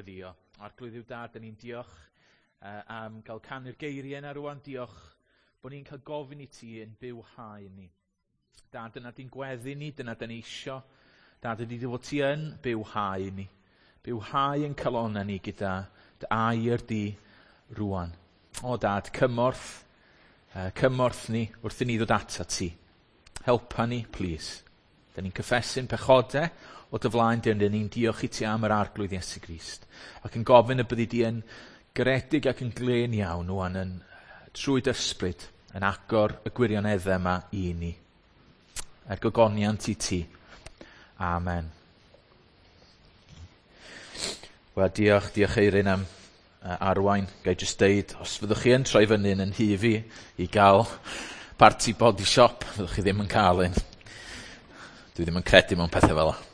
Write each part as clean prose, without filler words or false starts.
Gweddïo. Arglwydd Dduw Dad, 'dan ni'n diolch am gael canu'r geiriau yna rwan. Diolch bod ni'n cael gofyn i ti yn bywhau ni. Dad, dyna di'n gweddi ni, dyna dyn ni isio. Dad, ydy dy fod ti yn bywhau ni. Bywhau yn calonnau ni gyda dy air di rwan. O Dad, cymorth, cymorth ni wrth i ni ddod ata ti. Helpa ni, plîs. Da ni'n cyffesu'n pechodau o dy flaen di, ond ni'n diolch i ti am yr Arglwydd Iesu Grist. Ac yn gofyn y byddi di yn garedig ac yn glên iawn wan yn trwy dy ysbryd yn agor y gwirioneddau yma i ni. Er gogoniant i ti. Amen. Wel, diolch, diolch Eirin am arwain. Ga i jyst deud, os fyddwch chi yn troi fyny yn nhŷ fi i gael parti body shop, fyddwch chi ddim yn cael un. Dwi ddim yn credu mewn pethau fel 'na.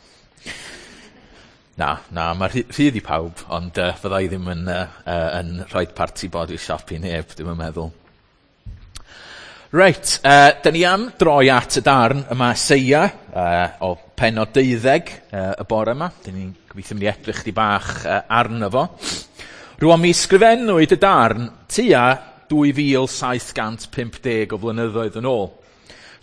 Na, na, mae rhydd i pawb, ond fydda i ddim yn rhoi parti body shop i neb, dwi'm yn meddwl. Reit, da ni am droi at y darn yma Eseia o pennod 12 y bore yma. Da ni'n gobeithio mynd i edrych chdi bach arno fo. Rwan mi sgrifennwyd y darn tua 2750 o flynyddoedd yn ôl.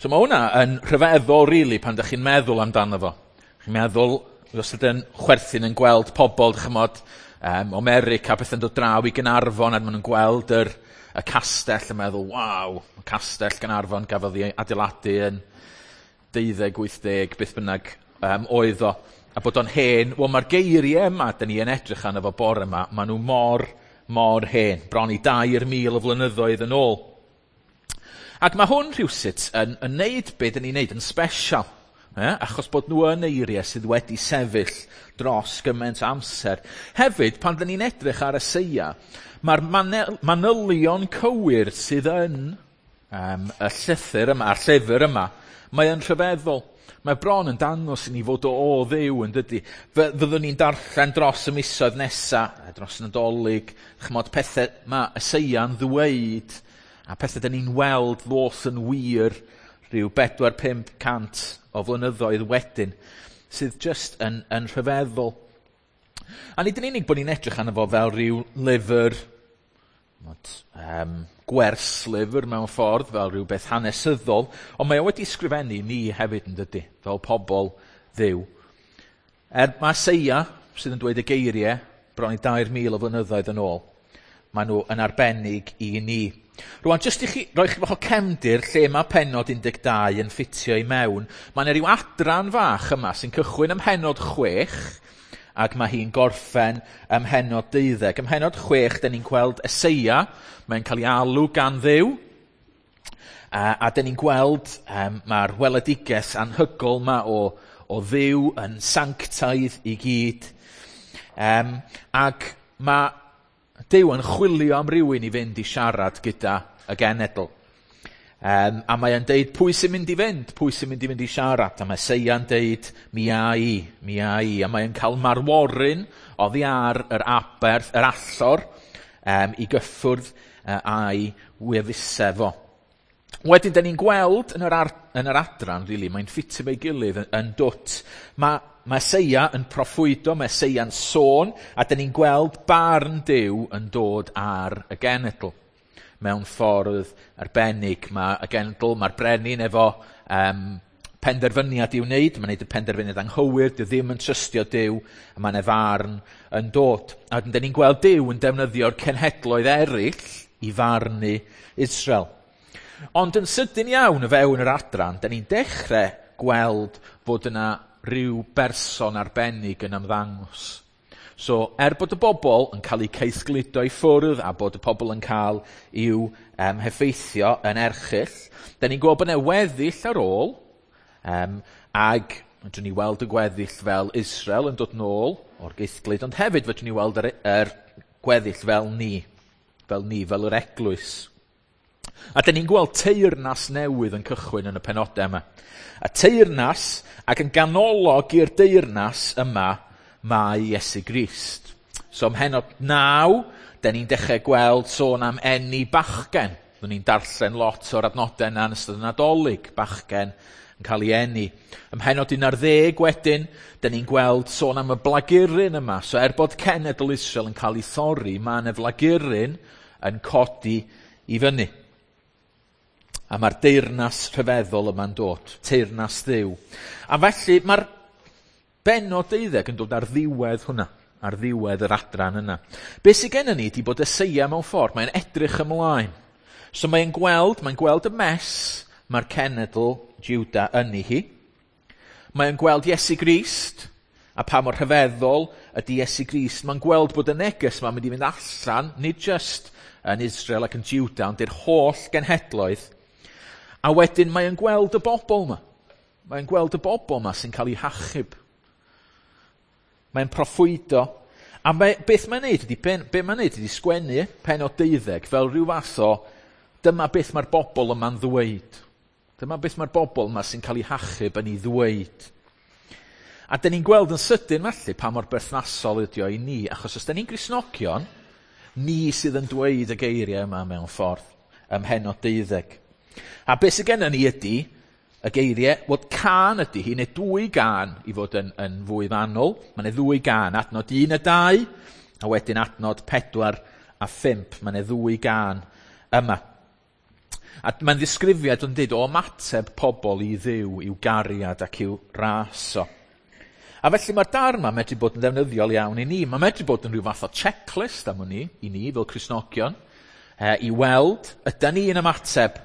So mae hwnna yn rhyfeddol, really, pan da chi'n meddwl amdano fo. Chi'n meddwl, os ydyn chwerthin yn gweld pobl, chymod, o America, beth yn dod draw i Gaernarfon, a maen nhw'n gweld y castell yn meddwl, waw, y castell Gaernarfon gafodd ei adeiladu yn 1280, beth bynnag oedd o. A bod o'n hen, wel mae'r geiriau yma, dyn ni yn edrych arno fo bore yma, maen nhw mor, mor hen, bron i 3,000 o flynyddoedd yn ôl. Ac mae hwn rhywsut yn neud be dyn ni'n neud yn special. Achos bod nhw yn eiriau sydd wedi sefyll dros gymaint o amser. Hefyd, pan dyn ni'n edrych ar Eseia, mae'r manylion cywir sydd yn y llythyr yma, a'r llyfr yma, mae yn rhyfeddol. Mae bron yn dangos i ni fod o Dduw yn dydy. Fyddwn ni'n darllen dros y misoedd nesa, dros y Nadolig, chymod, pethau mae Eseia'n ddweud, a pethau dyn ni'n weld ddos yn wir rhyw 400-500 o flynyddoedd wedyn, sydd just yn rhyfeddol. A nid yn unig bod ni'n edrych arno fo fel rhyw lyfr, gwerslyfr mewn ffordd, fel rhyw beth hanesyddol, ond mae o wedi sgrifennu ni hefyd yn dydy, fel pobl Dduw. Er mae Eseia, sydd yn dweud y geiriau, bron i 3,000 o flynyddoedd yn ôl, maen nhw yn arbennig i ni. Rwan, jyst i chi roi chi bach o cefndir lle mae pennod 12 yn ffitio i mewn, mae yna ryw adran fach yma sy'n cychwyn ym mhennod 6, ac mae hi'n gorffen ym mhennod 12. Ym mhennod 6, dyn ni'n gweld Eseia, mae'n cael ei alw gan Dduw, a dyn ni'n gweld mae'r weledigaeth anhygol yma o Dduw yn sanctaidd i gyd. Ac mae Duw yn chwilio am rywun i fynd i siarad gyda y genedl. A mae e'n deud, pwy sy'n mynd i fynd? Pwy sy'n mynd i fynd i siarad? A mae Eseia'n deud, mi a i, mi a i. A mae e'n cael marworyn oddi ar yr aberth, yr allor, i gyffwrdd a'i wefusau fo. Wedyn, da ni'n gweld yn yr adran, really, mae'n ffitio efo'i gilydd yn dwt. Mae Eseia yn proffwydo, mae Eseia'n sôn, a da ni'n gweld barn Duw yn dod ar y genedl. Mewn ffordd arbennig, mae y genedl, mae'r brenin efo penderfyniad i'w wneud, mae'n gwneud y penderfyniad anghywir, dyw ddim yn trystio Duw, a mae 'na farn yn dod. A wedyn, da ni'n gweld Duw yn defnyddio'r cenhedloedd eraill i farnu Israel. Ond yn sydyn iawn o fewn yr adran, da ni'n dechrau gweld fod yna rhyw berson arbennig yn ymddangos. So, er bod y bobl yn cael eu caethgludo i ffwrdd a bod y pobl yn cael i'w heffeithio yn erchyll, da ni'n gweld bod yna weddill ar ôl, ag fedrwn ni weld y gweddill fel Israel yn dod nôl o'r geithglyd, ond hefyd fedrwn ni weld yr gweddill fel ni, fel yr eglwys. A dyn ni'n gweld teyrnas newydd yn cychwyn yn y penodau yma. A teyrnas, ac yn ganolog i'r deyrnas yma, mae Iesu Grist. So ym mhennod 9, dyn ni'n dechrau gweld sôn am eni bachgen. Byddwn ni'n darllen lot o'r adnodau yna yn ystod y Nadolig, bachgen yn cael ei eni. Ym mhennod 11 wedyn, dyn ni'n gweld sôn am y blaguryn yma. So er bod cenedl Israel yn cael ei thorri, mae yna flaguryn yn codi i fyny. A mae'r deyrnas rhyfeddol yma'n dod, teyrnas Dduw. A felly mae'r bennod 12 yn dod ar ddiwedd hwnna, ar ddiwedd yr adran yna. Be sydd gennym ni ydy bod Eseia mewn ffordd, mae'n edrych ymlaen. So mae'n gweld y mess mae'r cenedl Juda yn ei hi. Mae'n gweld Iesu Grist, a pa mor rhyfeddol ydy Iesu Grist. Mae'n gweld bod y neges yma'n mynd i fynd allan, nid just yn Israel ac yn Juda, ond i'r holl genhedloedd. A wedyn mae'n gweld y bobl yma. Mae'n gweld y bobl yma sy'n cael eu hachub. Mae'n proffwydo. A beth mae'n neud ydy, be mae'n neud ydy sgwennu pennod 12 fel rhyw fath o dyma beth mae'r bobl yma'n ddweud. Dyma beth mae'r bobl yma sy'n cael eu hachub yn ei ddweud. A dyn ni'n gweld yn sydyn felly pa mor berthnasol ydy o i ni, achos os dyn ni'n Gristnogion, ni sydd yn dweud y geiriau yma mewn ffordd ym mhennod 12. A beth sydd gennym ni ydy y geiriau, wel cân ydy hi, neu dwy gân i fod yn fwy fanwl. Mae yna ddwy gân, adnod 1 a 2, a wedyn adnod 4 a 5. Mae yna ddwy gân yma. A mae'n ddisgrifiad yn dweud o ymateb pobl i Dduw, i'w gariad ac i'w ras o. A felly mae'r darn yma medru bod yn ddefnyddiol iawn i ni. Mae'n medru bod yn rhyw fath o checklist am hwn i ni fel Cristnogion, i weld ydy ni yn ymateb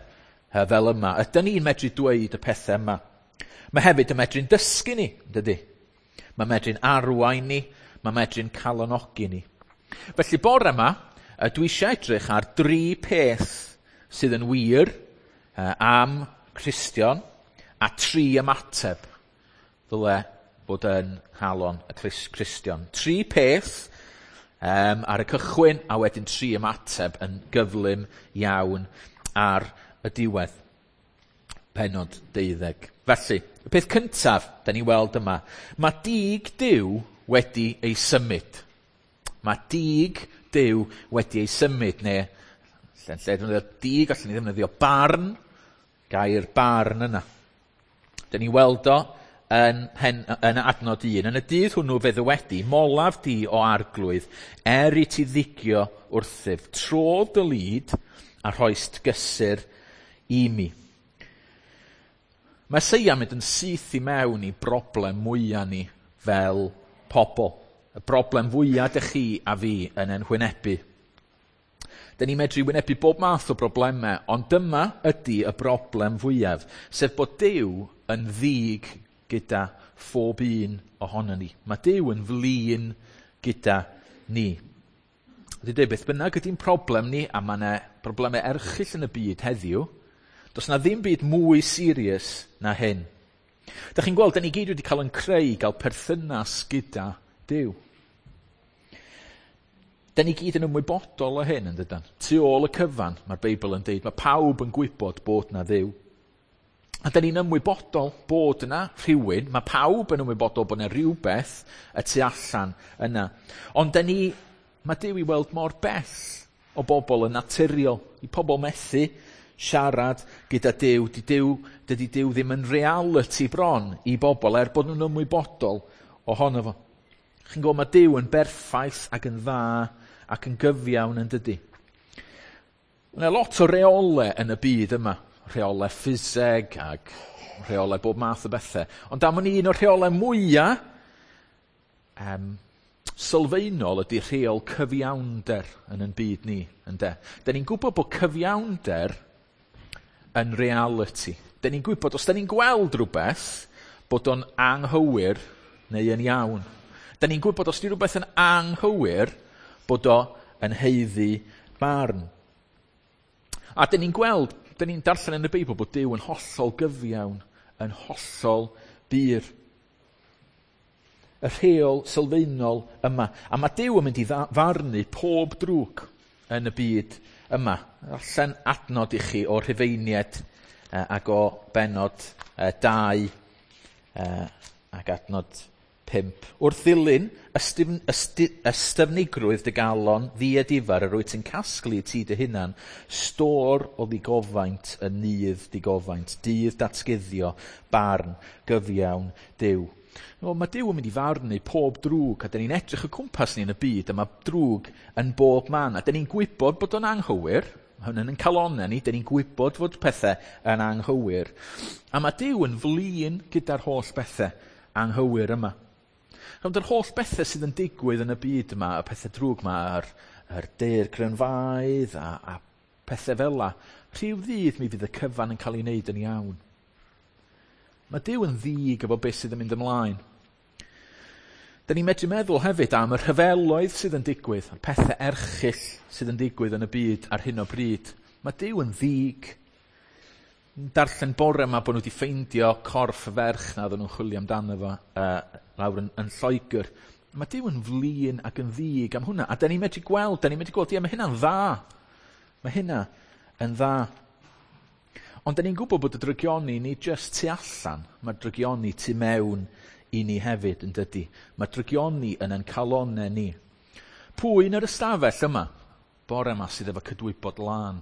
fel yma. Ydy ni'n medru dweud y pethau yma. Mae hefyd yn medru'n dysgu ni, dydy? Mae medru'n arwain ni, mae medru'n calonogi ni. Felly bore yma, dwi eisiau edrych ar dri peth sydd yn wir am Cristion a tri ymateb ddyle bod yn nghalon y Cristion. Tri peth ar y cychwyn a wedyn tri ymateb yn gyflym iawn ar y diwedd. Pennod 12. Felly, y peth cyntaf da ni weld yma, mae dig Duw wedi ei symud. Mae dig Duw wedi ei symud, neu lle defnyddio dig, allan ni ddefnyddio barn, gair barn yna. Da ni weld o yn adnod 1. Yn y dydd hwnnw fe ddywedi, molaf di o arglwydd, er i ti ddigio wrthyf, trodd dy lid a rhoist gysur i mi. Mae Eseia mynd yn syth i mewn i broblem mwyaf ni fel pobl. Y broblem fwyaf dych chi a fi yn ein hwynebu. Dyn ni'n medru wynebu bob math o broblemau, ond dyma ydy y broblem fwyaf, sef bod Duw yn ddig gyda phob un ohonon ni. Mae Duw yn flin gyda ni. Dwi'n dweud, beth bynnag ydy'n problem ni, a mae yna broblemau erchyll yn y byd heddiw, does na ddim byd mwy serious na hyn. Dach chi'n gweld, da ni gyd wedi cael yn creu, gael perthynas gyda Duw. Da ni gyd yn ymwybodol o hyn, yn dydan? Tu ôl y cyfan, mae'r Beibl yn deud, mae pawb yn gwybod bod na Dduw. A da ni'n ymwybodol bod yna rhywun, mae pawb yn ymwybodol bod yna rhywbeth y tu allan yna. Ond da ni, mae Duw i weld mor bell o bobl yn naturiol, i pobl methu siarad gyda Duw. Dydy Duw ddim yn reality bron i bobl, er bod nhw'n ymwybodol ohono fo. Chi'n gwybod, mae Duw yn berffaith ac yn dda ac yn gyfiawn yn dydy. Mae yna lot o reolau yn y byd yma. Rheolau ffiseg ac rheolau bob math o bethau. Ond am un o'r rheolau mwyaf sylfaenol ydy rheol cyfiawnder yn ein byd ni. Ynde? Da ni'n gwybod bod cyfiawnder yn reality. Da ni'n gwybod, os da ni'n gweld rhywbeth, bod o'n anghywir neu yn iawn. Da ni'n gwybod os di rhywbeth yn anghywir, bod o yn haeddu barn. A da ni'n gweld, da ni'n darllen yn y Beibl bod Duw yn hollol gyfiawn, yn hollol bur. Y rheol sylfaenol yma. A mae Duw yn mynd i farnu pob drwg yn y byd yma. Allan adnod i chi o'r Rhufeiniaid ac o bennod 2 ac adnod 5. Wrth ddilyn ystyfnigrwydd dy galon ddiedifar yr wyt ti'n casglu ti dy hunan, stôr o ddigofaint yn nydd digofaint, dydd datguddio, barn, gyfiawn, Duw. Wel, mae Duw yn mynd i farnu pob drwg, a dyn ni'n edrych o cwmpas ni yn y byd, a mae drwg yn bob man, a dyn ni'n gwybod bod o'n anghywir, mae hynny'n yn calonau ni, dyn ni'n gwybod fod pethau yn anghywir. A mae Duw yn flin gyda'r holl bethau anghywir yma. Ond yr holl bethau sydd yn digwydd yn y byd yma, y pethau drwg yma, yr daeargrynfeydd a pethau fel 'la, rhyw ddydd mi fydd y cyfan yn cael ei wneud yn iawn. Mae Duw yn ddig efo beth sydd yn mynd ymlaen. Da ni'n medru meddwl hefyd am y rhyfeloedd sydd yn digwydd, y pethau erchyll sydd yn digwydd yn y byd ar hyn o bryd. Mae Duw yn ddig. Darllen bore yma bod nhw wedi ffeindio corff y ferch na oedden nhw'n chwilio amdano fo lawr yn Lloegr. Mae Duw yn flin ac yn ddig am hwnna. A da ni'n medru gweld, ie, mae hynna'n dda. Mae hynna yn dda. Ond da ni'n gwybod bod y drygioni ni jyst tu allan. Mae'r drygioni tu mewn i ni hefyd yn dydy. Mae drygioni yn ein calonau ni. Pwy yn yr ystafell yma bore yma sydd efo cydwybod lân?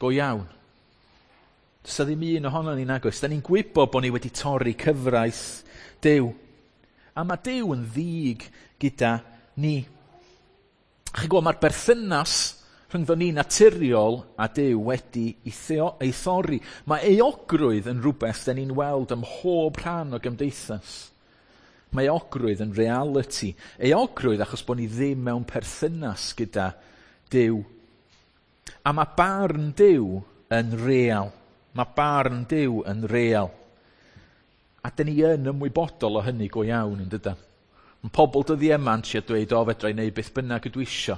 Go iawn. Does 'na ddim un ohono ni nag oes. Da ni'n gwybod bod ni wedi torri cyfraith Duw. A mae Duw yn ddig gyda ni. Chi'n gwybod, mae'r berthynas rhyngddo ni naturiol a Duw wedi ei thorri. Mae euogrwydd yn rhywbeth da ni'n weld ym mhob rhan o gymdeithas. Mae euogrwydd yn reality. Euogrwydd achos bod ni ddim mewn perthynas gyda Duw. A mae barn Duw yn real. Mae barn Duw yn real. A dyn ni yn ymwybodol o hynny go iawn yn dydan. Mae pobl dyddiau yma'n trio dweud, o, fedra i wneud beth bynnag ydw isio.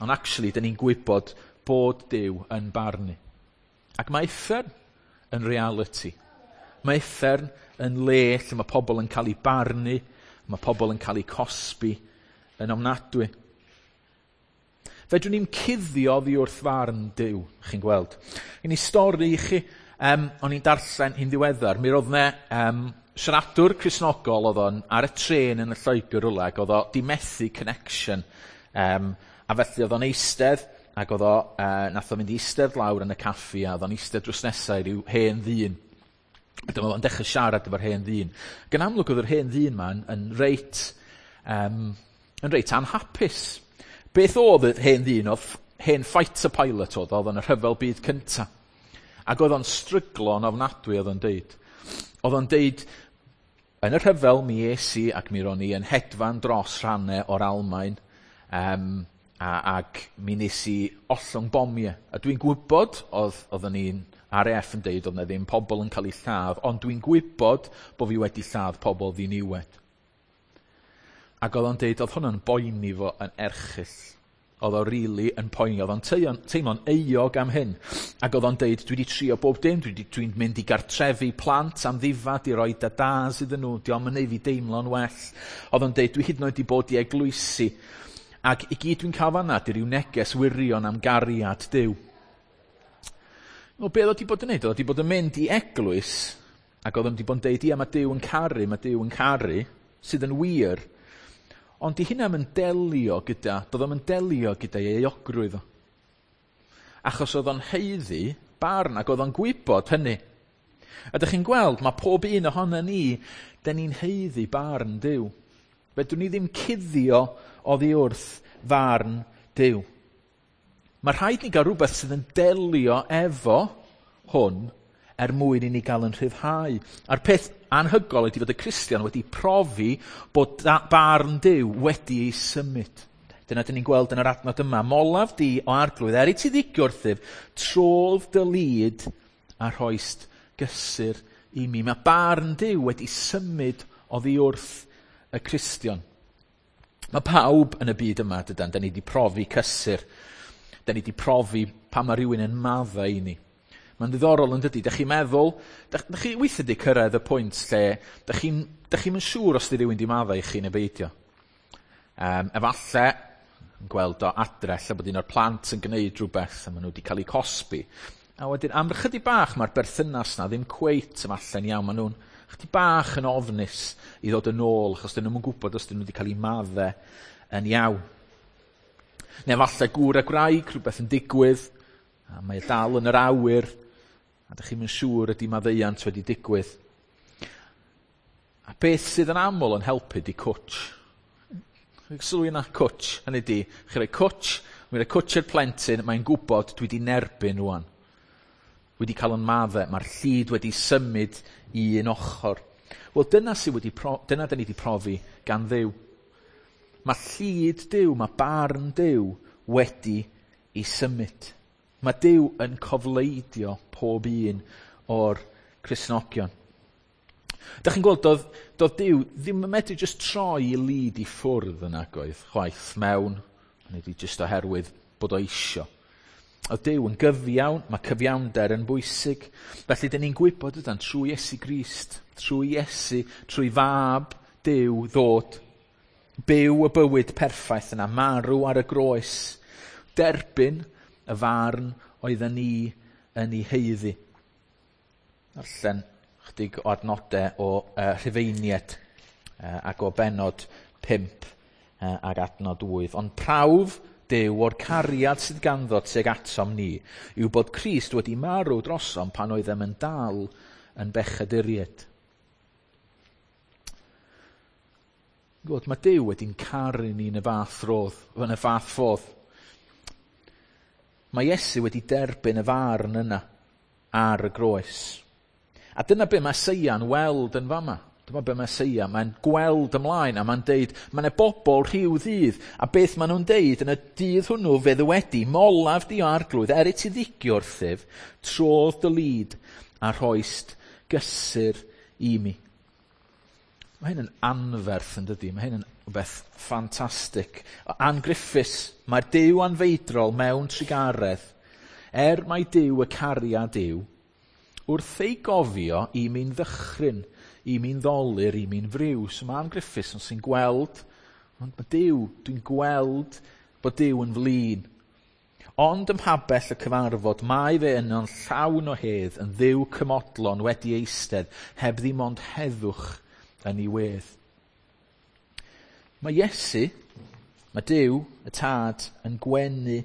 Ond actually, dyn ni'n gwybod bod Duw yn barnu. Ac mae uffern yn reality. Mae uffern yn le lle mae pobl yn cael eu barnu, mae pobl yn cael eu cosbi yn ofnadwy. Fedrwn ni'm cuddio oddi wrth farn Duw, chi'n gweld. Un i stori i chi, o'n i'n darllen hi'n ddiweddar, mi roedd 'na siaradwr Cristnogol oedd o'n ar y trên yn y Lloegr rwla, ac oedd o 'di methu connection, a felly oedd o'n eistedd, ac oedd o, nath o fynd i eistedd lawr yn y caffi, a oedd o'n eistedd drws nesaf i ryw hen ddyn. A dyma fo'n dechrau siarad efo'r hen ddyn. Ac yn amlwg oedd yr hen ddyn 'ma yn reit anhapus. Beth oedd yr hen ddyn? Oedd hen fighter pilot oedd yn y rhyfel byd cynta. Ac oedd o'n stryglo yn ofnadwy, oedd o'n deud. Oedd o'n deud, yn y rhyfel mi es i ac mi ro'n i yn hedfan dros rhannau o'r Almaen, ac mi nes i ollwng bomiau. A dwi'n gwybod, oedden ni'n RAF yn deud oedd 'na ddim pobl yn cael eu lladd, ond dwi'n gwybod bod fi wedi lladd pobl ddiniwed. Ac oedd o'n deud, oedd hwnna'n boeni fo yn erchyll. Oedd o rili yn poeni, oedd o'n teimlo'n euog am hyn. Ac oedd o'n deud, dwi wedi trio bob dim, dwi'n mynd i gartrefi plant am ddifad i roi dadas iddyn nhw, dio'm yn neud fi deimlo'n well. Oedd o'n deud, dwi hyd yn oed wedi bod i eglwysi. Ac i gyd dwi'n cael fan'na, di ryw neges wirion am gariad Duw. Wel, be oedd o wedi bod yn neud? Oedd o wedi bod yn mynd i eglwys, ac oedd o wedi bod yn deud, ia, mae Duw yn caru, mae Duw yn caru, sydd yn wir, ond di hynna yn delio gyda, doedd o'm yn delio gyda'i euogrwydd o. Achos oedd o'n haeddu barn, ac oedd o'n gwybod hynny. A dych chi'n gweld, mae pob un ohono ni, dyn ni'n haeddu barn Duw. Fedrwn ni ddim cuddio oddi wrth farn Duw. Mae rhaid ni gael rhywbeth sydd yn delio efo hwn er mwyn i ni gael yn rhyddhau. A'r peth anhygoel ydy fod y Cristion wedi profi bod barn Duw wedi ei symud. Dyna dyn ni'n gweld yn yr adnod yma. Molaf di o Arglwydd, er i ti ddigio wrthyf, trodd dy lid a rhoist gysur i mi. Mae barn Duw wedi symud oddi wrth y Cristion. Mae pawb yn y byd yma, dydan, da ni wedi profi cysur. Da ni wedi profi pan mae rhywun yn maddau i ni. Mae'n ddiddorol yn dydi, dych chi'n meddwl, dych chi weithiau wedi cyrraedd y pwynt lle dych chi'm yn siŵr os di rhywun di maddau i chi neu beidio. Efalle, yn gweld o adre, lle bod un o'r plant yn gwneud rhywbeth a maen nhw wedi cael eu cosbi. A wedyn, am ychydig bach, mae'r berthynas na ddim cweit efallai'n iawn. Maen nhw'n Chydig bach yn ofnus i ddod yn ôl, achos dyn nhw'n gwybod os dyn nhw wedi cael eu madde yn iawn. Neu falle gŵr a gwraig, rhywbeth yn digwydd, a mae dal yn yr awyr, a dych chi'm yn siŵr ydy maddeuant wedi digwydd. A beth sydd yn aml yn helpu di cwtch. Sylwi yna cwtch, hynny di, chi roi cwtch, mi roi cwtch i'r plentyn, mae'n gwybod dwi wedi nerbyn rwan. Wedi cael yn madde, mae'r llid wedi symud i un ochr. Wel, dyna sydd wedi dyna dyn ni wedi profi gan Dduw. Mae llid Duw, mae barn Duw wedi ei symud. Mae Duw yn cofleidio pob un o'r Cristnogion. Dach chi'n gweld, doedd Duw ddim yn medru jyst troi i lid i ffwrdd yn agoedd, chwaith mewn, neu di jyst oherwydd bod o isio. Oedd Duw yn gyfiawn, mae cyfiawnder yn bwysig. Felly, dyn ni'n gwybod ydan, trwy Iesu Grist, trwy Iesu, trwy fab Duw ddod, byw y bywyd perffaith yna, marw ar y groes, derbyn y farn oedden ni yn ei haeddu. Darllen chydig o adnodau o Rhufeiniaid ac o benod 5 ac adnod 8. Ond prawf Duw o'r cariad sydd ganddo tuag atom ni yw bod Crist wedi marw drosom pan oeddem yn dal yn bechaduriaid. Gwybod, mae Duw wedi'n caru ni yn y fath rodd, yn y fath ffordd. Mae Iesu wedi derbyn y farn yna ar y groes. A dyna be mae Eseia'n weld yn fama. Dyma be mae Eseia, mae'n gweld ymlaen a mae'n deud, mae yna bobl rhyw ddydd, a beth maen nhw'n deud yn y dydd hwnnw fe ddywedi, molaf di o arglwydd, er i ti ddigio wrthyf, trodd dy lid a rhoist gysur i mi. Mae hyn yn anferth yn dydi, mae hyn yn rhywbeth ffantastig. Ann Griffiths, mae'r Duw anfeidrol mewn trugaredd, er mai Duw y cariad yw, wrth ei gofio i mi'n ddychryn, i mi'n ddolur, i mi'n friw. So mae Ann Griffiths yn sy'n gweld, ond mae Duw, dwi'n gweld bod Duw yn flin. Ond ym mhabell y cyfarfod, mae fe yno'n llawn o hedd, yn Dduw cymodlon wedi eistedd, heb ddim ond heddwch yn ei wedd. Mae Iesu, mae Duw, y Tad, yn gwenu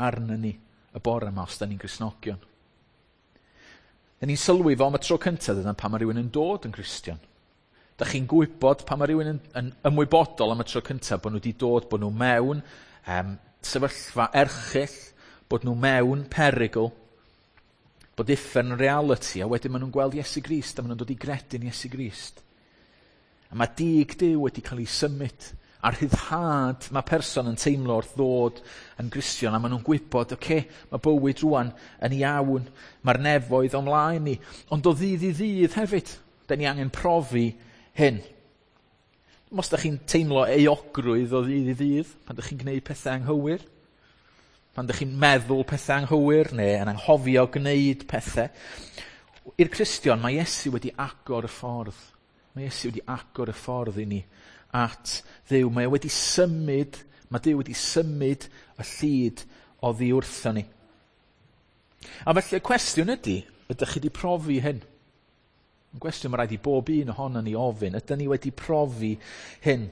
arno ni y bore yma os da ni'n Gristnogion. Da ni'n sylwi fo am y tro cyntaf dyna pan mae rhywun yn dod yn Gristion. Da chi'n gwybod pan mae rhywun yn ymwybodol am y tro cyntaf bod nhw wedi dod, bod nhw mewn sefyllfa erchyll, bod nhw mewn perygl, bod uffern yn reality, a wedyn maen nhw'n gweld Iesu Grist a maen nhw'n dod i gredu'n Iesu Grist. A mae dig Duw wedi cael ei symud, a'r rhyddhad mae person yn teimlo wrth ddod yn Gristion, a maen nhw'n gwybod, oce, mae bywyd rwan yn iawn, mae'r nefoedd o'n mlaen ni. Ond o ddydd i ddydd hefyd, da ni angen profi hyn. Os da chi'n teimlo euogrwydd o ddydd i ddydd, pan da chi'n gwneud pethau anghywir, pan da chi'n meddwl pethau anghywir, neu yn anghofio gwneud pethau, i'r Cristion mae Iesu wedi agor y ffordd. Mae Iesu wedi agor y ffordd i ni at Dduw. Mae o wedi symud, mae Duw wedi symud y llid oddi wrtho ni. A felly y cwestiwn ydy, ydych chi wedi profi hyn? Y cwestiwn mae rhaid i bob un ohono ni ofyn, ydyn ni wedi profi hyn?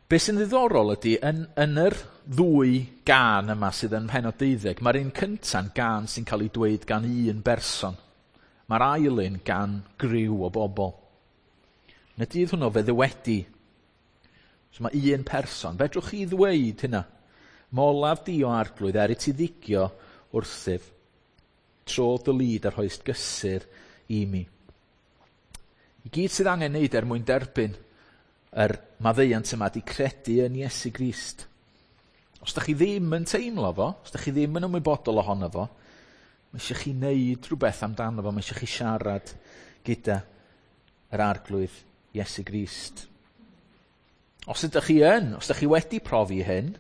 Be sy'n ddiddorol ydy, yn yr ddwy gân yma sydd yn mhenod 12, mae'r un cynta'n gân sy'n cael ei dweud gan un berson. Mae'r ail un gan griw o bobl. Yn y dydd hwnnw fe ddywedi. So mae un person. Fedrwch chi ddweud hynna? Molaf di o arglwydd, er i ti ddigio wrthyf. Trodd dy lid a rhoist gysur i mi. I gyd sydd angen wneud er mwyn derbyn yr maddeuant yma di credu yn Iesu Grist. Os da chi ddim yn teimlo fo, os da chi ddim yn ymwybodol ohono fo, mae eisiau chi wneud rhywbeth amdano fo, mae eisiau chi siarad gyda yr arglwydd Iesu Grist. Os ydych chi yn, os ydych chi wedi profi hyn,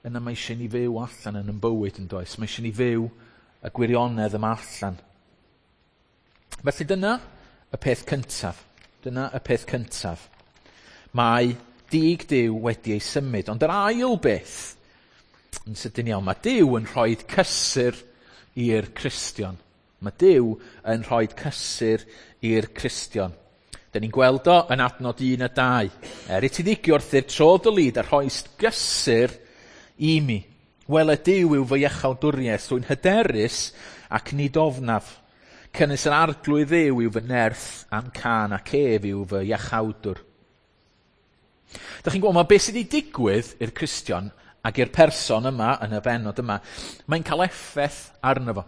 yna mae eisiau ni fyw allan yn ein bywyd yn does. Mae eisiau ni fyw y gwirionedd yma allan. Felly dyna y peth cyntaf. Dyna y peth cyntaf. Mae dig Duw wedi ei symud. Ond yr ail beth, yn sydyn iawn, mae Duw yn rhoi cysur i'r Cristion. Mae Duw yn rhoi cysur i'r Cristion. Dyn ni'n gweld o yn adnod 1 a 2. Er i ti ddigio wrthyf tro dy lid a rhoist gysur i mi. Wele Duw yw fy iachawdwriaeth, rwy'n hyderus ac nid ofnaf. Cynnwys yr arglwydd Dduw yw fy nerth a'm cân ac ef yw fy iachawdwr. Dych chi'n gweld, mae beth sydd wedi digwydd i'r Cristion ac i'r person yma yn y bennod yma, mae'n cael effaith arno fo.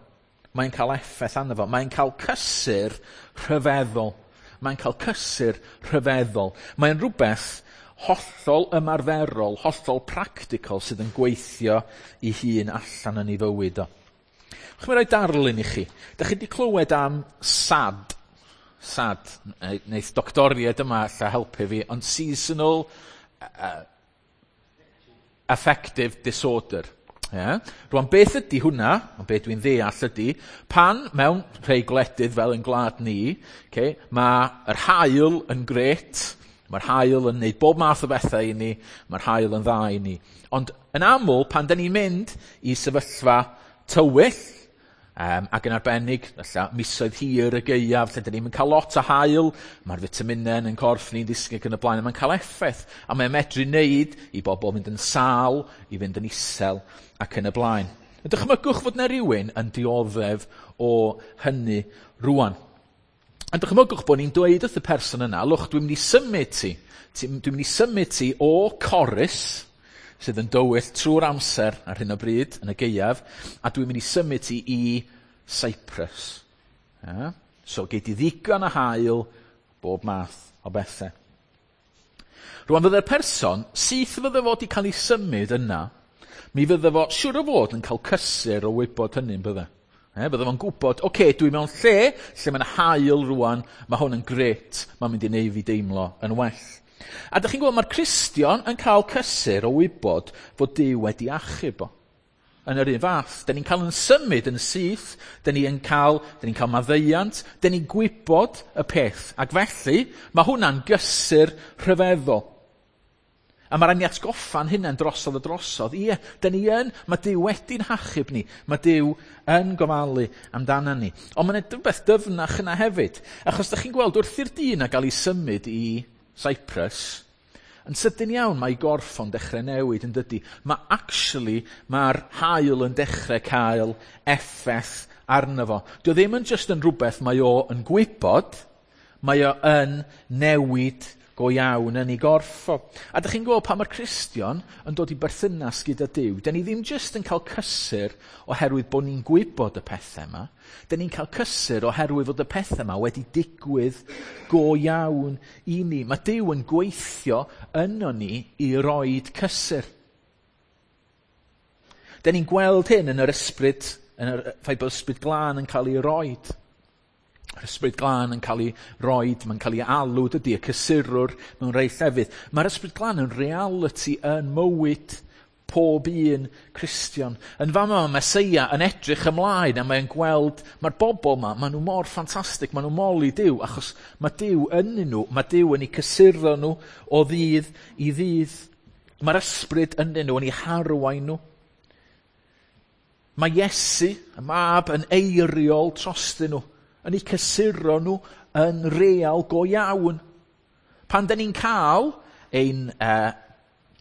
Mae'n cael effaith arno fo. Mae'n cael cysur rhyfeddol. Mae'n cael cysur rhyfeddol. Mae'n rhywbeth hollol ymarferol, hollol practical sydd yn gweithio i hun allan yn ei fywyd o. Chymryd rhoi darlun i chi. Dych chi wedi clywed am SAD. SAD. Neith doctoriaid yma alla helpu fi, ond Seasonal Affective Disorder. Yeah. Rwan, beth ydy hwnna, ond beth dwi'n ddeall ydy, pan mewn rhai gwledydd fel yn gwlad ni, okay, mae yr haul yn grêt, mae'r haul yn neud bob math o bethau i ni, mae'r haul yn dda i ni. Ond yn aml, pan da ni'n mynd i sefyllfa tywyll, ac yn arbennig, ella, misoedd hir y gaeaf, lle da ni'n cael lot o haul, mae'r fitaminau yn corff ni'n disgyn ac yn y blaen, a mae'n cael effaith, a mae'n medru wneud i bobl fynd yn sâl, i fynd yn isel, ac yn y blaen. Dychmygwch fod 'na rywun yn dioddef o hynny rwan. A dychmygwch bod ni'n dweud wrth y person yna, lwch, dwi'n mynd i symud ti, dwi'n mynd i symud ti o Corris, sydd yn dywyll trwy'r amser ar hyn o bryd yn y gaeaf, a dwi'n mynd i symud ti i Cyprus. Yeah? So gei di ddigon o haul, bob math o bethau. Rwan fydde'r person, syth fydde fo wedi cael ei symud yna, mi fydde fo siŵr o fod yn cael cysur o wybod hynny'n bydde. Bydde fo'n gwybod, oce, dwi mewn lle lle mae'n haul rwan, mae hwn yn grêt, mae'n mynd i neud fi deimlo yn well. A dych chi'n gweld, mae'r Cristion yn cael cysur o wybod fod Duw wedi achub o. Yn yr un fath, dyn ni'n cael yn symud yn syth, dyn ni'n cael, dyn ni'n cael maddeuant, dyn ni'n gwybod y peth. Ac felly, mae hwnna'n gysur rhyfeddol. A mae rhaid ni atgoffa'n hunain drosodd a drosodd. Ie, dyn ni yn, mae Duw wedi'n hachub ni. Mae Duw yn gofalu amdana ni. Ond mae'n rhywbeth dyfnach yna hefyd. Achos dych chi'n gweld wrth i'r dyn a gael ei symud i Cyprus, yn sydyn iawn mae gorff o'n dechrau newid yn dydy. Mae actually, mae'r haul yn dechrau cael effaith arno fo. Dio ddim yn just yn rhywbeth mae o yn gwybod, mae o yn newid go iawn yn ei gorff o. A dych chi'n gweld pan mae'r Cristion yn dod i berthynas gyda Duw, dyn ni ddim just yn cael cysur oherwydd bod ni'n gwybod y pethau yma, dyn ni'n cael cysur oherwydd fod y pethau yma wedi digwydd go iawn i ni. Mae Duw yn gweithio yno ni i roid cysur. Dyn ni'n gweld hyn yn yr ysbryd, yn yr ffaith bod ysbryd glân yn cael ei roid. Yr ysbryd glân yn cael ei roid, mae'n cael ei alw, dydy, y cysurwr mewn rhai llefydd. Mae'r ysbryd glân yn reality yn mywyd pob un Cristion. Yn fama mae Meseia yn edrych ymlaen a mae'n gweld, mae'r bobl yma, maen nhw mor ffantastig, maen nhw moli Duw, achos mae Duw yn nhw, mae Duw yn eu cysuro nhw o ddydd i ddydd. Mae'r ysbryd ynddyn nhw, yn eu harwain nhw. Mae Iesu, y mab, yn eiriol trostyn nhw, yn eu cysuro nhw yn real go iawn. Pan dyn ni'n cael ein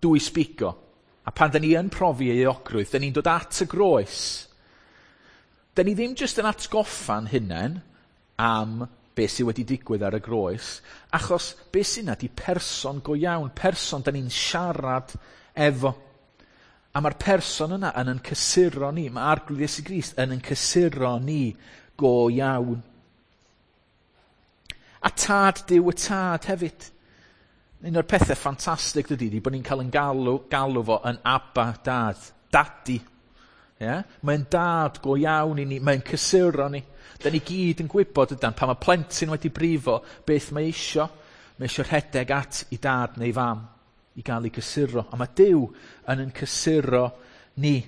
dwys bigo, a pan dyn ni yn profi euogrwydd, dyn ni'n dod at y groes, dyn ni ddim jyst yn atgoffa'n hunain am beth sydd wedi digwydd ar y groes, achos beth sy'n yna di person go iawn, person dyn ni'n siarad efo. A mae'r person yna yn cysuro ni, mae Arglwydd Iesu Grist yn cysuro ni go iawn. A tad Duw y tad hefyd. Un o'r pethau ffantastig dydy, di bod ni'n cael yn galw fo yn Abba Dad, Daddy. Yeah? Mae'n dad go iawn i ni, mae'n cysuro ni. Da ni gyd yn gwybod ydan, pan mae plentyn wedi brifo, beth mae isio. Mae isio rhedeg at i dad neu fam i gael ei cysuro. A mae Duw yn cysuro ni.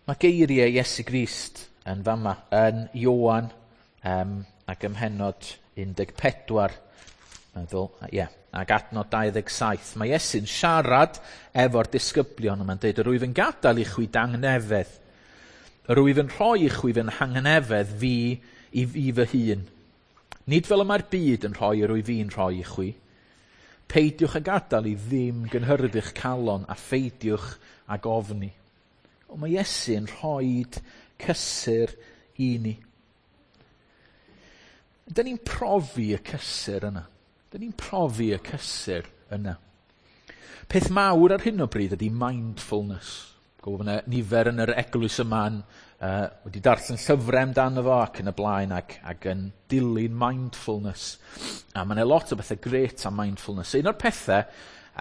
Mae geiriau Iesu Grist yn fama, yn Ioan ac ym mhennod 14, meddwl, ie, ac adnod 27. Mae Iesu'n siarad efo'r disgyblion a mae'n dweud, yr wyf yn gadael i chwi dangnefedd. Yr wyf yn rhoi i chwi fy nghangnefedd fi i fi fy hun. Nid fel y mae'r byd yn rhoi yr wyf fi'n rhoi i chwi. Peidiwch â gadael i ddim gynhyrfu'ch calon a pheidiwch ag ofni. O, mae Iesu yn rhoi cysur i ni. Dyn ni'n profi y cysur yna. Dyn ni'n profi y cysur yna. Peth mawr ar hyn o bryd ydy mindfulness. Gwybod bod yna nifer yn yr eglwys yma yn, wedi darllen llyfrau amdano fo ac yn y blaen ac yn dilyn mindfulness. A mae yna lot o bethau grêt am mindfulness. Un o'r pethau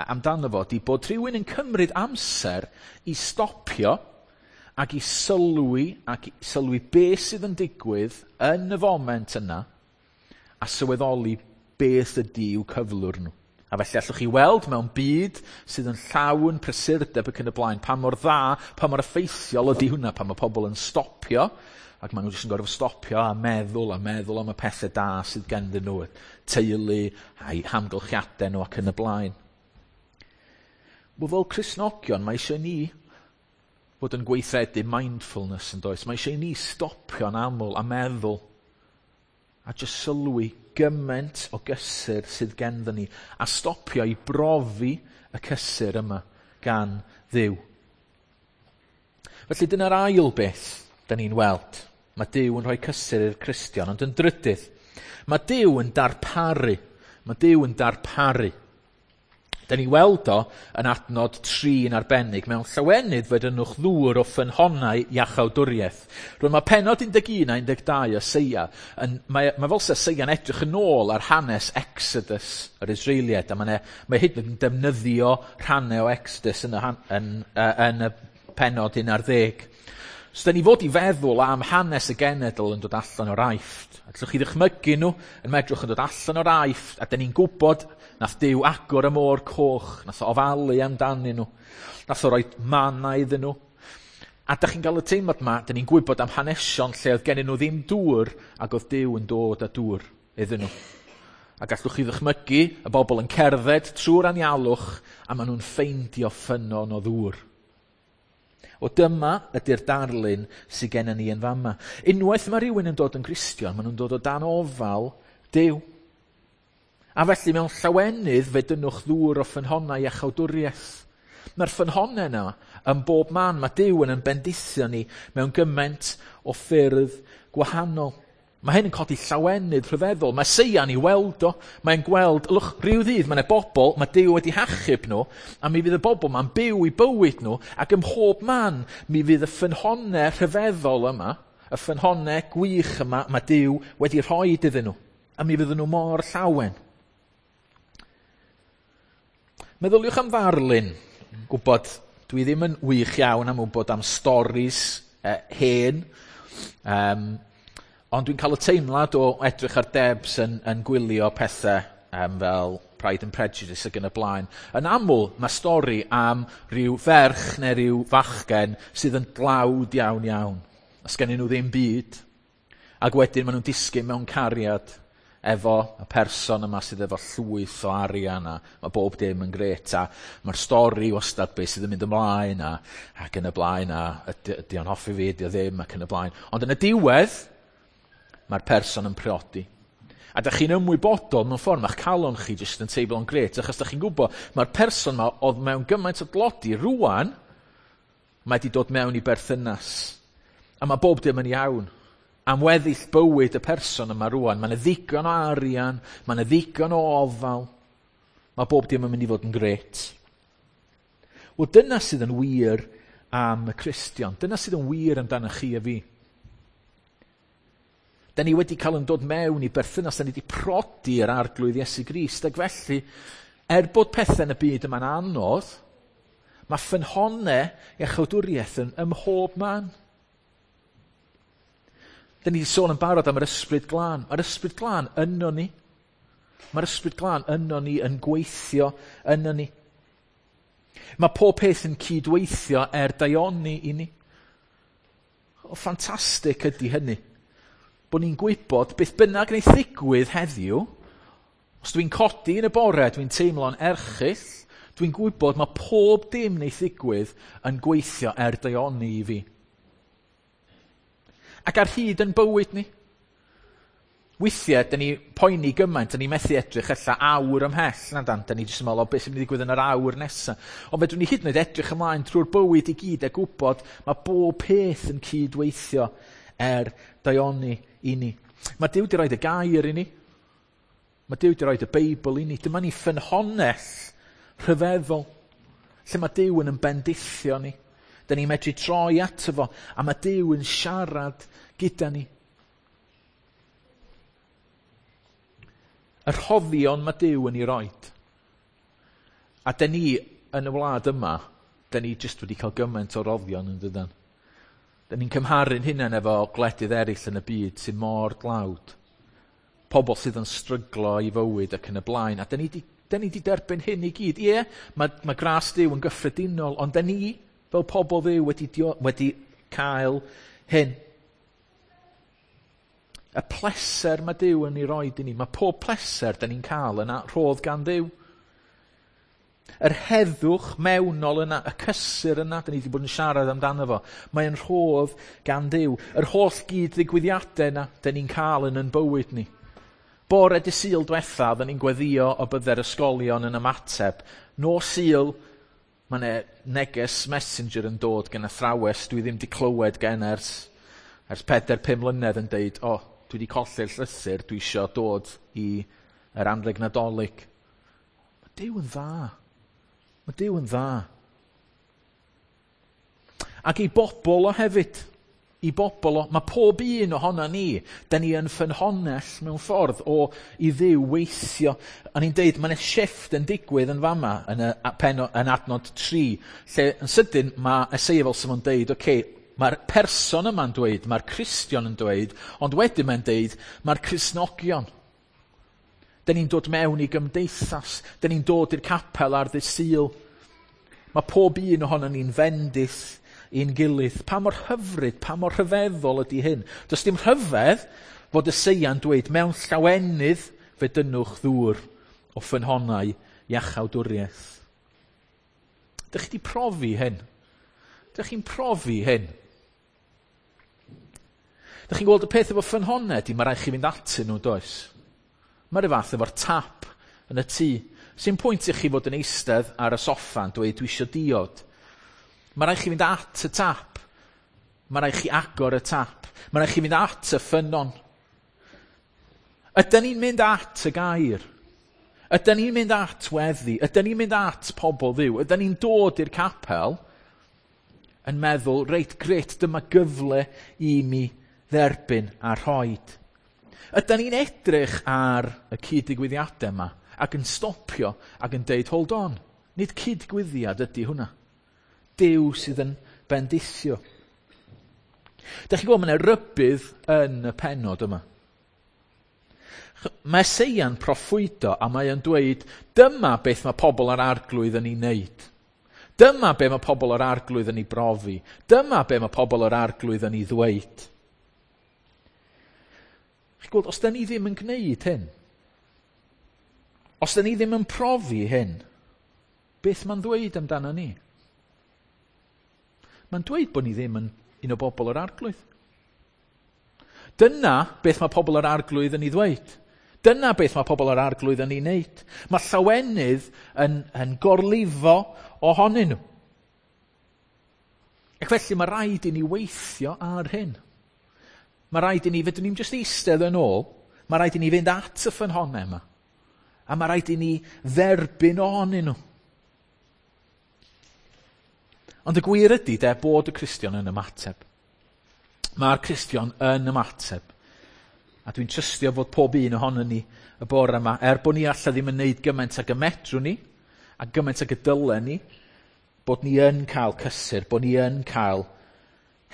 amdano fo ydy bod rhywun yn cymryd amser i stopio ac i sylwi beth sydd yn digwydd yn y foment yna a sylweddoli beth ydy i'w cyflwr nhw. A felly allwch chi weld mewn byd sydd yn llawn prysurdeb ac yn y blaen, pa mor dda, pa mor effeithiol ydy hwnna, pan mae pobl yn stopio, ac maen nhw jyst yn gorfod stopio a meddwl am y pethau da sydd ganddyn nhw, y teulu a'i hamgylchiadau nhw ac yn y blaen. Wel, fel Cristnogion, mae eisiau ni fod yn gweithredu mindfulness yn does. Mae eisiau ni stopio'n aml a meddwl a jyst sylwi gymaint o gysur sydd ganddyn ni a stopio i brofi y cysur yma gan Dduw. Felly dyna'r ail beth da ni'n weld. Mae Duw yn rhoi cysur i'r Cristion, ond yn drydydd, mae Duw yn darparu. Mae Duw yn darparu. Da ni weld o yn adnod 3 yn arbennig, mewn llawenydd fe dynnwch ddŵr o ffynhonnau iachawdwriaeth. Rwy'n mae pennod 11 a 12 Eseia, mae fel se Eseia'n edrych yn ôl ar hanes Exodus yr Israeliaid, a mae hyd yn defnyddio rhannau o Exodus yn y pennod 11. So da ni fod i feddwl am hanes y genedl yn dod allan o'r Aifft. Allwch chi ddychmygu nhw yn medrwch yn dod allan o'r Aifft, a da ni'n gwybod nath Duw agor y môr coch, nath o ofalu amdanyn nhw, nath o roi manna iddyn nhw. A da chi'n cael y teimlad yma, da ni'n gwybod am hanesion lle oedd gennyn nhw ddim dŵr, ac oedd Duw yn dod â dŵr iddyn nhw. A gallwch chi ddychmygu y bobl yn cerdded trwy'r anialwch, a maen nhw'n ffeindio ffynnon o ddŵr. O dyma ydy'r darlun sydd gennym ni yn fama. Unwaith mae rhywun yn dod yn Gristion, maen nhw'n dod o dan ofal Duw. A felly mewn llawenydd fe dynnwch ddŵr o ffynhonnau iachawdwriaeth. Mae'r ffynhonnau yna yn bob man. Mae Duw yn bendithio ni mewn gymaint o ffyrdd gwahanol. Mae hyn yn codi llawenydd rhyfeddol. Mae Eseia'n ei weld o. Mae'n gweld, lwch, rhyw ddydd mae yna bobl, mae Duw wedi hachub nhw, a mi fydd y bobl ma'n byw i bywyd nhw, ac ym mhob man mi fydd y ffynhonnau rhyfeddol yma, y ffynhonnau gwych yma, mae Duw wedi rhoi iddyn nhw. A mi fydden nhw mor llawen. Meddyliwch am ddarlun. Gwybod, dwi ddim yn wych iawn am wybod am storis hen. Ond dwi'n cael y teimlad o edrych ar Debs yn gwylio pethau fel Pride and Prejudice ac yn y blaen. Yn aml, mae stori am ryw ferch neu ryw fachgen sydd yn dlawd iawn iawn. A sgennyn nhw ddim byd. Ac wedyn maen nhw'n disgyn mewn cariad efo y person yma sydd efo llwyth o arian a mae bob dim yn grêt a mae'r stori wastad beth sydd yn mynd ymlaen a, ac yn y blaen a ydy o'n hoffi fi, ydy o ddim ac yn y blaen. Ond yn y diwedd, mae'r person yn priodi. A da chi'n ymwybodol mewn ffordd, mae'ch calon chi jyst yn teimlo'n grêt, achos da chi'n gwybod, mae'r person yma oedd mewn gymaint o dlodi rwan, mae wedi dod mewn i berthynas. A mae bob dim yn iawn. Am weddill bywyd y person yma rwan, mae yna ddigon o arian, mae yna ddigon o ofal, mae bob dim yn mynd i fod yn grêt. Wel, dyna sydd yn wir am y Cristion. Dyna sydd yn wir amdano chi a fi. Da ni wedi cael yn dod mewn i berthynas, da ni wedi prodi yr Arglwydd Iesu Grist, ac felly, er bod pethau yn y byd yma'n anodd, mae ffynhonnau iachawdwriaeth yn ymhob man. Da ni wedi sôn yn barod am yr Ysbryd Glân. Mae'r Ysbryd Glân yno ni. Mae'r Ysbryd Glân yno ni yn gweithio yno ni. Mae pob peth yn cydweithio er daioni i ni. O, ffantastig ydy hynny. Bod ni'n gwybod beth bynnag wneith ddigwydd heddiw, os dwi'n codi yn y bore, dwi'n teimlo'n erchyll, dwi'n gwybod mae pob dim wneith ddigwydd yn gweithio er daioni i fi. Ac ar hyd yn bywyd ni. Weithiau, dyn ni poeni gymaint, dyn ni methu edrych ella awr ymhell na dan, dyn ni jyst yn meddwl, o beth sy'n mynd i ddigwydd yn yr awr nesaf. Ond fedrwn ni hyd yn oed edrych ymlaen trwy'r bywyd i gyd a gwybod mae bob peth yn cydweithio er daioni i ni. Mae Duw wedi rhoid y gair i ni. Mae Duw wedi rhoid y Beibl i ni. Dyma ni ffynhonnell rhyfeddol lle mae Duw yn ymbendithio ni. Dyn ni'n medru troi ato fo, a mae Duw yn siarad gyda ni. Y rhoddion mae Duw yn ei roid. A dyn ni yn y wlad yma, dyn ni jyst wedi cael gymaint o roddion yn dydan. Dyn ni'n cymharu'n hunain efo gwledydd eraill yn y byd sy'n mor dlawd. Pobl sydd yn stryglo i fywyd ac yn y blaen. A dyn ni di derbyn hyn i gyd. Ie, mae gras Duw yn gyffredinol, ond dyn ni, fel pobl Dduw, wedi cael hyn. Y pleser mae Duw yn ei roid i ni. Mae pob pleser dyn ni'n cael yna rhodd gan Dduw. Yr heddwch mewnol yna, y cysur yna, dyn ni wedi bod yn siarad amdano fo. Mae'n rhodd gan Dduw. Yr holl gyd-ddigwyddiadau yna, dyn ni'n cael yn yn bywyd ni. Bore dy Sul diwetha, oedden ni'n gweddio o bydde'r ysgolion yn ymateb. Nos Sul, mae yna neges messenger yn dod gan athrawes dwi ddim wedi clywed gen ers 4-5 mlynedd yn deud, o, dwi wedi colli'r llythyr, dwi isio dod i yr anrheg Nadolig. Mae Duw yn dda. Mae Duw yn dda. Ac i bobl o hefyd, i bobl o, mae pob un ohono ni, da ni yn ffynhonnell mewn ffordd o i Dduw weithio. A ni'n deud, mae yna shift yn digwydd yn fama, yn, yn adnod 3, lle yn sydyn mae Eseia fel sy'n deud, oce, mae'r person yma'n dweud, mae'r Cristion yn dweud, ond wedyn mae'n deud, mae'r Cristnogion. Dyn ni'n dod mewn i gymdeithas, dyn ni'n dod i'r capel ar ddydd Sul. Mae pob un ohono ni'n fendith i'n gilydd. Pa mor hyfryd, pa mor rhyfeddol ydy hyn? Does dim rhyfedd fod Eseia'n dweud, mewn llawenydd fe dynnwch ddŵr o ffynhonnau iachawdwriaeth. Dych chi wedi profi hyn? Dych chi'n profi hyn? Dych chi'n gweld y peth efo ffynhonnau ydy, mae rhaid chi fynd atyn nhw, does? Mae'r fath efo'r tap yn y tŷ. Sy'n pwynt i chi fod yn eistedd ar y soffa yn dweud, dwi eisiau diod. Mae rhaid chi fynd at y tap. Mae rhaid chi agor y tap. Mae rhaid chi fynd at y ffynnon. Ydyn ni'n mynd at y gair? Ydyn ni'n mynd at weddi? Ydyn ni'n mynd at pobl Dduw? Ydyn ni'n dod i'r capel yn meddwl, reit, gret, dyma gyfle i mi dderbyn a rhoid. Ydyn ni'n edrych ar y cyd-ddigwyddiadau yma ac yn stopio ac yn deud, hold on, nid cyd-digwyddiad ydy hwnna. Duw sydd yn bendithio. Dych chi'n gweld, mae yna rybudd yn y pennod yma. Mae Eseia'n proffwydo a mae o'n dweud, dyma beth mae pobl yr Arglwydd yn ei wneud. Dyma be mae pobl yr Arglwydd yn ei brofi. Dyma be mae pobl yr Arglwydd yn ei ddweud. Chi'n gweld, os da ni ddim yn gwneud hyn, os da ni ddim yn profi hyn, beth mae'n dweud amdano ni? Mae'n dweud bod ni ddim yn un o bobl yr Arglwydd. Dyna beth mae pobl yr Arglwydd yn ei ddweud. Dyna beth mae pobl yr Arglwydd yn ei wneud. Mae llawenydd yn gorlifo ohonyn nhw. Ac felly mae rhaid i ni weithio ar hyn. Mae rhaid i ni, fedrwn ni'n jyst eistedd yn ôl, mae rhaid i ni fynd at y ffynhonnau yma. A mae rhaid i ni dderbyn ohonyn nhw. Ond y gwir ydy de bod y Cristion yn ymateb. Mae'r Cristion yn ymateb. A dwi'n trystio fod pob un ohonon ni y bore yma, er bod ni alla ddim yn neud gymaint ag y medrwn ni, a gymaint ag y dylen ni, bod ni yn cael cysur, bod ni yn cael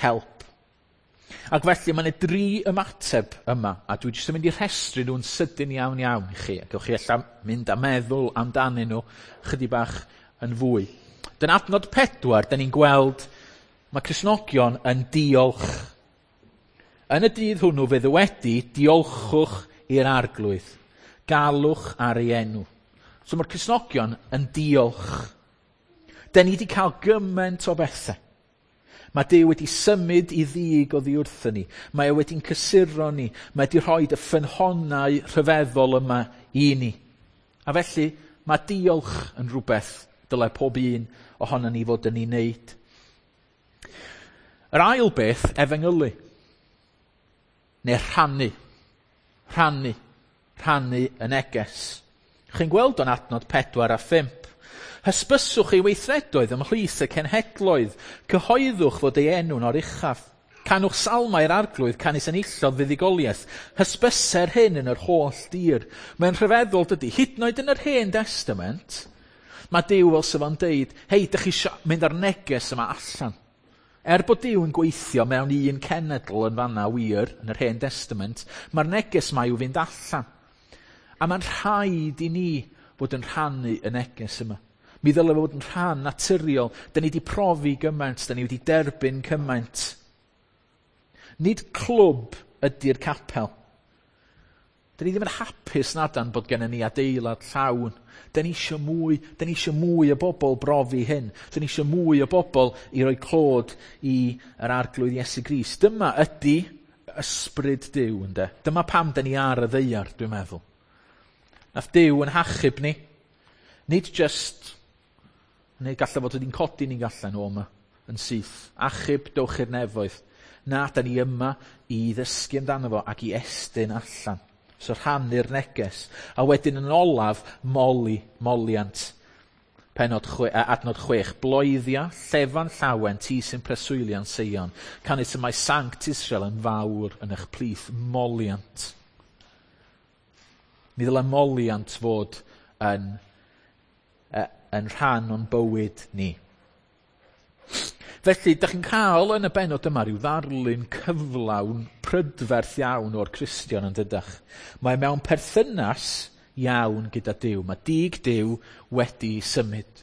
help. Ac felly mae yna dri ymateb yma, a dwi jyst yn mynd i rhestru nhw'n sydyn iawn iawn i chi, a gewch chi ella mynd a meddwl amdanyn nhw chydig bach yn fwy. Dyna adnod 4, da ni'n gweld mae Cristnogion yn diolch. Yn y dydd hwnnw fe ddywedi, diolchwch i'r Arglwydd, galwch ar ei enw. So mae'r Cristnogion yn diolch. Da ni wedi cael gymaint o bethau. Mae Duw wedi symud i ddig oddi wrthyn ni. Mae e wedi'n cysuro ni. Mae wedi rhoi y ffynhonnau rhyfeddol yma i ni. A felly, mae diolch yn rhywbeth dylai pob un ohono ni fod yn ei wneud. Yr ail beth, efengylu. Neu rhannu. Rhannu. Rhannu y neges. Chi'n gweld o'n adnod 4 a 5. Hysbyswch ei weithredoedd ymhlith y cenhedloedd. Cyhoeddwch fod ei enw'n oruchaf. Canwch salmau i'r arglwydd, canys enillodd fuddugoliaeth. Hysbyser hyn yn yr holl dir. Mae'n rhyfeddol dydy, hyd yn oed yn yr Hen Testament, mae Duw fel sef o'n deud, hei, dych chi isio mynd ar neges yma allan. Er bod Duw yn gweithio mewn un cenedl yn fanna wir, yn yr Hen Testament, mae'r neges yma i'w fynd allan. A mae'n rhaid i ni fod yn rhannu y neges yma. Mi ddylai fod yn rhan naturiol. Da ni wedi profi gymaint, da ni wedi derbyn cymaint. Nid clwb ydy'r capel. Da ni ddim yn hapus nadan bod gennym ni adeilad llawn. Da ni eisiau mwy, da ni eisiau mwy o bobl brofi hyn. Da ni eisiau mwy o bobl i roi clod i yr Arglwydd Iesu Grist. Dyma ydy ysbryd Duw, ynde? Dyma pam da ni ar y ddaear, dwi'n meddwl. Nath Duw yn hachub ni. Nid just, neu gallai fod wedi'n codi ni'n gallan o yma, yn syth. Achub, dowch i'r nefoedd. Na, da ni yma i ddysgu amdano fo ac i estyn allan. So rhannu'r neges. A wedyn yn olaf, moli, moliant. Pennod adnod 6. Bloeddia, llefan llawen, ti sy'n preswylio'n Seion. Canys y mae Sanct Israel yn fawr yn eich plith. Moliant. Mi ddylai moliant fod yn rhan o'n bywyd ni. Felly, dych chi'n cael yn y bennod yma rhyw ddarlun cyflawn prydferth iawn o'r Cristion yn dydach. Mae mewn perthynas iawn gyda Duw. Mae dig Duw wedi symud.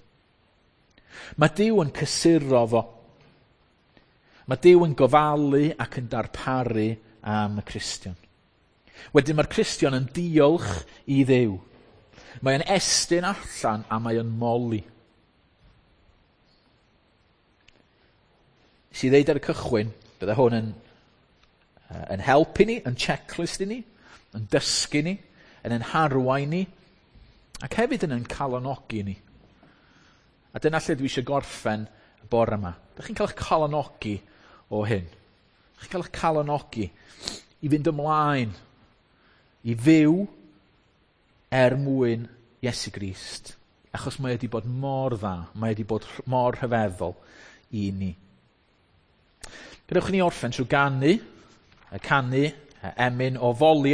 Mae Duw yn cysuro fo. Mae Duw yn gofalu ac yn darparu am y Cristion. Wedyn mae'r Cristion yn diolch i Dduw. Mae yn estyn allan a mae yn moli. Nes i ddeud ar y cychwyn, bydde hwn yn help i ni, yn checklist i ni, yn dysgu ni, yn ein harwain ni, ac hefyd yn ein calonogi ni. A dyna lle dwi eisiau gorffen y bore yma. Dych chi'n cael eich calonogi o hyn. Dych chi'n cael eich calonogi i fynd ymlaen, i fyw er mwyn Iesu Grist. Achos mae wedi bod mor dda, mae wedi bod mor rhyfeddol i ni. Gadewch i ni orffen trwy ganu, y canu, emyn o foliant.